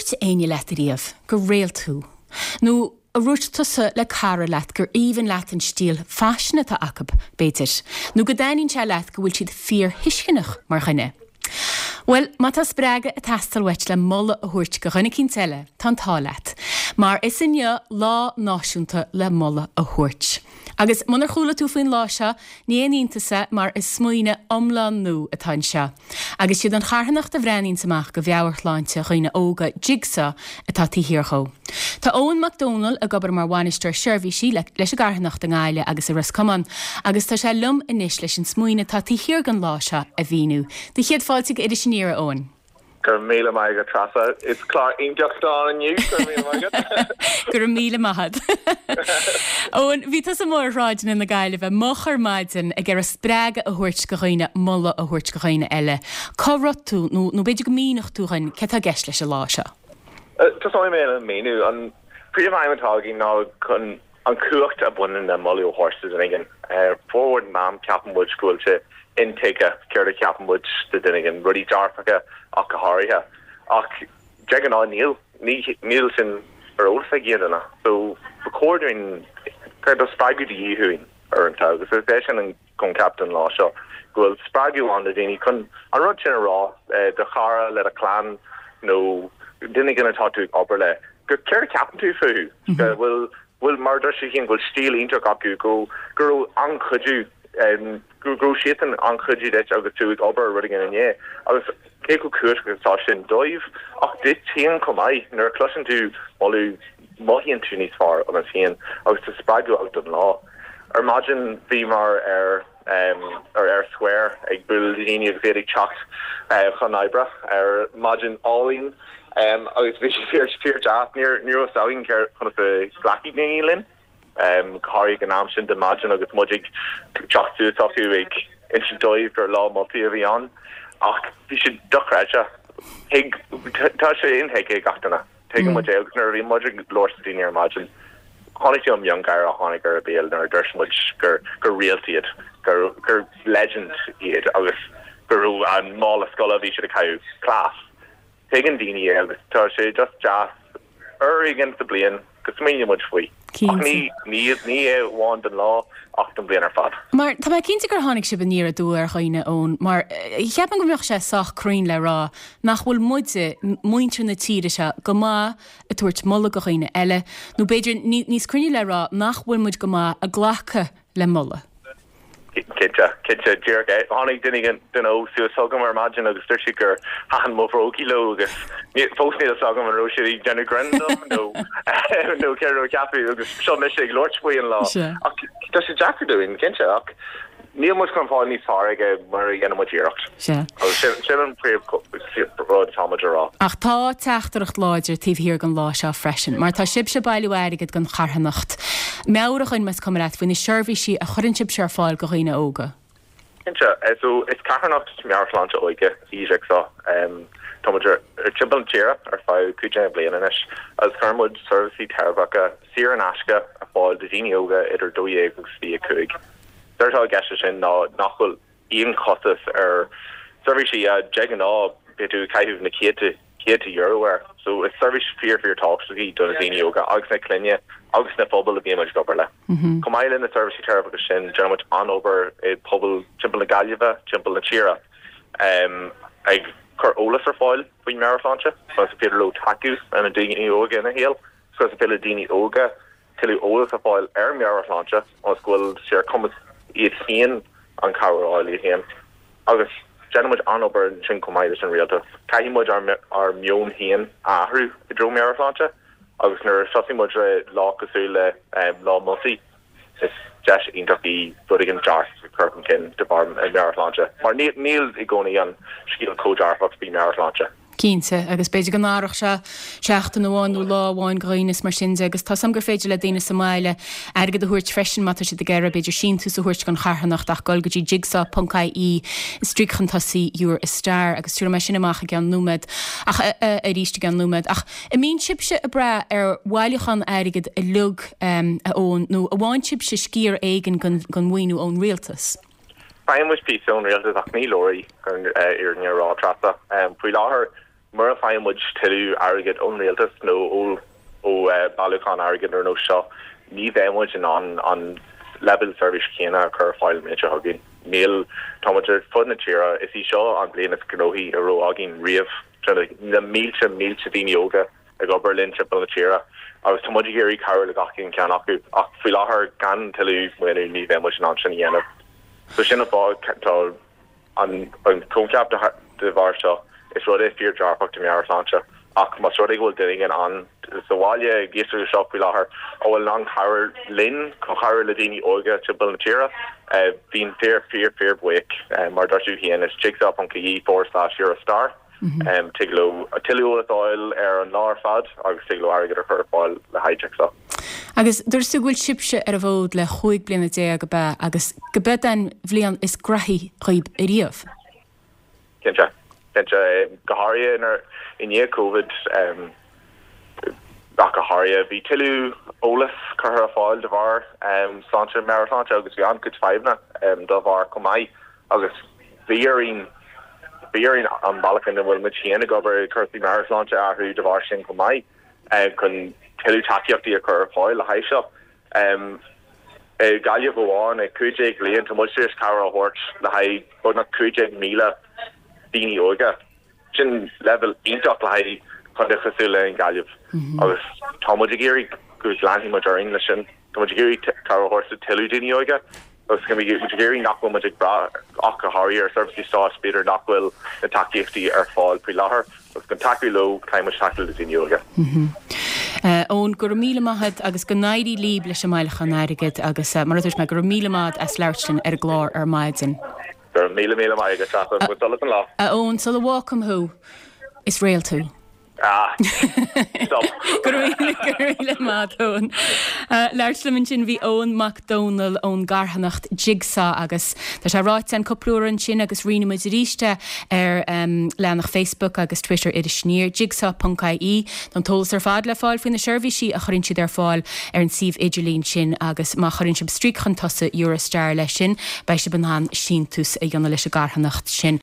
ndúirt éinne leat ariamh gur réalt thú? Nó ar dhúirt tusa le cara leat gur aoibhinn leat an stíl faisin atá acu, b'fhéidir? Nó go dtaitníonn sé leat go bhfuil siad fíorthuisceanach mar dhuine? Bhuel, má tá spreagadh ag teastáil uait le moladh a thabhairt go dhuine eicínt eile, tá an t-ádh leat. Mar is inniu Lá Náisiúnta le Moladh a Thabhairt. Agus munar chuala tú faoin lá seo, ní haon iontas é mar is smaoineamh iomlán nua atá anseo. Agus siad an charthanacht a bhreathnaíonns amach go mheabhairshláinte dhaoine óga, Jigsaw, atá taobh thiar dhó. Tá Eoin Mac Dónaill ag obair mar bhainisteoir seirbhísí leis an gcarthanacht i nGaillimh agus i Ros Comáin agus tá sé liom anois leis an smaoineamh atá taobh thiar den lá seo a mhíniú. Do chéad fáilte go Iris Aniar, a Eoin. Go raibh míle maith agat Treasa. Is clár iontach atá ann inniu, go raibh míle maith agat. Go raibh míle maith agat. Eoin, bhí tusa amuigh ar shráideanna na Gaillimhe moch ar maidin ag iarraidh spreagadh a thabhairt go dhaoine, moladh a thabhairt go dhaoine eile. Cá raibh tú, nó nó b'fhéidir go míneodh tú dhuinn cé atá i gceist leis an lá seo? Tosóidh mé le míniú. An príomhaidhm atá againn ná chun an chumhacht a bhaineann le moladh a thabhairt do dhuine éigin. Formhór den am ceapann muid go bhfuil sé intuigthe céard a cheapann muid de dhuine éigin, rudaí dearfacha ach go háirithe. Ach de ghnáth níl, níl sin ar eolas ag aon duine. So ba chóir dúinn, tá spreagadh de dhíth uainn uaireanta agus is é sin an coincheap den lá seo, go bhfuil spreagadh ann do dhaoine chun an rud sin a rá do chara, le do chlann nó duine éigin atá tú ag obair le, go céard a cheapann tú fúthu, go bhfuil, bhfuil, mar a dúirt tú féin, go bhfuil stíl iontach acu, go, go raibh an-chuidiú, go raibh siadsan an-chuidiú duit agus tú ag obair ar rud éigin inné. Agus cé chomh cumhachtach atá sin dóibh, ach duit féin chomh maith, nuair a chloiseann tú moladh, mothaíonn tú níos fearr ionat féin agus tá spreagadh agat don lá. Ar maidin bhíomar ar ar Eyre Square ag bualadh le daoine agus iad ag teacht chun oibre ar maidin álainn agus bhí sé fíor fíor deas. Ní ní raibh fhios againn céard conas a ghlacfaidh daoine linn, go háirithe ag an am sin de maidin agus muid ag teacht suas acu ag insint dóibh gur lá moltaí a bhí ann ach bhí sé dochreidte. Thuig tá sé intuigthe ag gach duine. Tuigeann muid é agus nuair a bhí muid ag labhairt le daoine ar maidin, chonaic tú an miongháire a tháinig ar a béal nuair a dúirt muid gur gur réalt iad, gur gur legend iad agus go raibh an mála scoile a bhí siad ag caitheamh class. Tuigeann daoine é agus tá sé just deas uair éigin sa bliain go smaoiníonn muid faoi. Ach ní ní ní é amháin don lá ach don bhliain ar fad. Mar tá mé cinnte gur tháinig sibh aniar aduaidh ar dhaoine, Eoin, mar cheapfainn go mbeadh sé sách cruinn le rá nach bhfuil muide, muintir na tíre seo, go maith ag tabhairt moladh go dhaoine eile, nó b'fhéidir níos cruinne le rá nach bhfuil muid go maith ag glacadh le moladh. Cinnte, cinnte, díreach é. Tháinig duine duine óg suas chugam ar maidin agus dúirt siad gur thaitin mo bhrógaí leo agus fós níl fhios agam an raibh siad ag déanamh grinn dom nó nó céard a raibh ceapadh agus seo mise ag labhairt faoi an lá. Ach tá sé deacair dúinn, cinnte, ach níl muid chun fáil níos fearr aige mura dhéanann muid iarracht. Sea. Agus sin sin an príomh rud atá muid a rá. Ach tá teachtaireacht láidir taobh thiar den lá seo freisin, mar tá sibhse ag bailiú airgid don charthanacht. Meabhraigh dhuinn, más cuma leat, faoi na seirbhísí a chuireann sibhse ar fáil do dhaoine óga. Cinnte. So, is carthanacht meabhairshláinte óige í Jigsaw. Tá muid ar timpeall na tíre ar feadh 15 bliain anois agus cuireann muid seirbhísí teiripeacha saor in aisce ar fáil do dhaoine óga idir 12 agus 25. Is éard atá i gceist leis sin ná nach bhfuil aon chostas ar seirbhísí a de ghnáth beidh tú ag caitheamh na céadta céadta euro air. So is seirbhís fíor fíor tábhachtach í do na daoine óga agus na clainne agus na phobail a bhíonn muid ag obair le. Chomh maith le na seirbhísí teiripeacha sin, déanann muid an-obair i bpobail timpeall na Gaillimhe, timpeall na tíre, ag cur eolas ar fáil faoin meabhairshláinte, conas is féidir leo tacú le na daoine óga ina shaol, conas is féidir le daoine óga tuilleadh eolas a fháil ar meabhairshláinte ionas go bhfuil sé ar cumas iad féin an chabhair a fháil iad féin. Agus déanann muid an-obair ansin chomh maith leis an rialtas. Caithfidh muid ár ár meon féin a athrú i dtreo meabhairshláinte agus nuair a thosaigh muid le lá cosúil le Lá Moltaí, is deis iontach í rud éigin dearfach a chur chun cinn de bharr meabhairshláinte mar níl i gcónaí an scéal chomh dearfach faoi meabhairshláinte. Cinnte, agus b'fhéidir go n-athródh sé seachtain amháin nó lá amháin go dhaoine is mar sin de, agus tá 's a'm gur féidir le daoine sa mbaile airgead a thabhairt freisin má tá siad ag iarraidh, b'fhéidir síntiús a thabhairt don charthanacht ach dul go dtí jigsaw ponc ie stríoc chun tosaigh you're a star agus tabharfaidh mé sin amach i gceann nóiméad ach arís i gceann nóiméad. Ach an mbíonn sibhse ag brath ar bhailiúchán airgid uilig a Eoin nó an bhfaigheann sibhse sciar éigin den mhaoiniú ón rialtas? Faigheann muid píosa ón rialtas ach ní leor é chun an fhírinne a rá, Treasa. Faoi láthair, Mura bhfaigheann muid tuilleadh airgid ón rialtas nó ó ó bailiúchán airgid ar nós seo, ní bheidh muid in ann an leibhéal seirbhís chéanna a chur ar fáil an bhliain seo chugainn. Níl, tá muid ar fud na tíre, is í seo an bhliain is gnóthaí a raibh againn riamh. Tá na mílte, mílte daoine óga ag obair linn timpeall na tíre agus tá muid ag iarraidh cabhrú le gach aon cheann acu ach faoi láthair gan tuilleadh maoiniú ní bheidh muid in ann sin a dhéanamh. So sin an fáth tá An coincheap de bharr seo, is rud é fíor-dearfach do meabhairshláinte, ach más rud é go bhfuil duine éigin ann sa bhaile ag éisteacht leis seo faoi láthair a bhfuil in ann cabhair linn chun cabhrú le daoine óga timpeall na tíre, bheinn fíor, fíor, fíor bhuíoch. Mar a dúirt tú féin, is jigsaw.ie forward slash Eurostar. Tig leo tuilleadh eolas a fháil ar an lá ar fad agus tig leo airgead a chur ar fáil le haghaidh Jigsaw. Agus dúirt tú go bhfuil sibhse ar an bhfód le chúig bliana déag, ab ea, agus go b'eod an bhliain is graithí dhaoib ariamh? Cinnte. Cinnte. Go háirithe i ndiaidh Covid, ach go háirithe, bhí tuilleadh eolas curtha ar fáil de bharr sláinte, meabhairshláinte agus bhí an-chuid fadhbanna dá bharr chomh maith. Agus bhí orainn, bhí orainn an bealach ina bhfuil muid féin ag obair i gcúrsaí meabhairshláinte a athrú de bharr sin chomh maith, chun tuilleadh tacaíochtaí a chur ar fáil le haghaidh seo. I Gaillimh amháin, i 15 bhliain, tá muid tar éis cabhair a thabhairt le haghaidh beagnach 15,000 daoine óga. Sin leibhéal iontach le haghaidh contae cosúil le an Ghaillimh agus tá muid ag iarraidh go leanfaidh muid orainn leis sin. Tá muid ag iarraidh cabhair a thabhairt do tuilleadh daoine óga agus tá muid ag iarraidh nach bhfuil muid ag brath ach go háirithe ar seirbhísí stáit, b'fhéidir nach bhfuil na tacaíochtaí ar fáil faoi láthair agus chun tacú leo caithfidh muid tacú le daoine óga. Eoin, go raibh míle maith a't agus go n-éirí líb leis an mbailiúchán airgid agus mar a dúirt mé, go raibh míle maith a't as labhairt linn ar an gclár ar maidin. Go raibh míle míle maith agat, Treasa. Bain sult as an lá. A Eoin, sula bhfágfaim thú, is réalt thú. Ah, stop. Go raibh míle, go raibh míle maith a't, Eoin. Labhairt liom ansin bhí Eoin Mac Dónaill ón gcarthanacht Jigsaw agus tá sé ráite againn cúpla uair ansin agus roinnfidh muid arís é ar leathanach Facebook agus Twitter Iris Aniar, jigsaw.ie. Tá an t-eolas ar fad le fáil faoi na seirbhísí a chuireann siad ar fáil ar an suíomh idirlín sin agus má chuireann sibh stríoc chun tosaigh Eurostar leis sin, beidh sibh in ann síntiús a dhéanamh leis an gcarthanacht sin.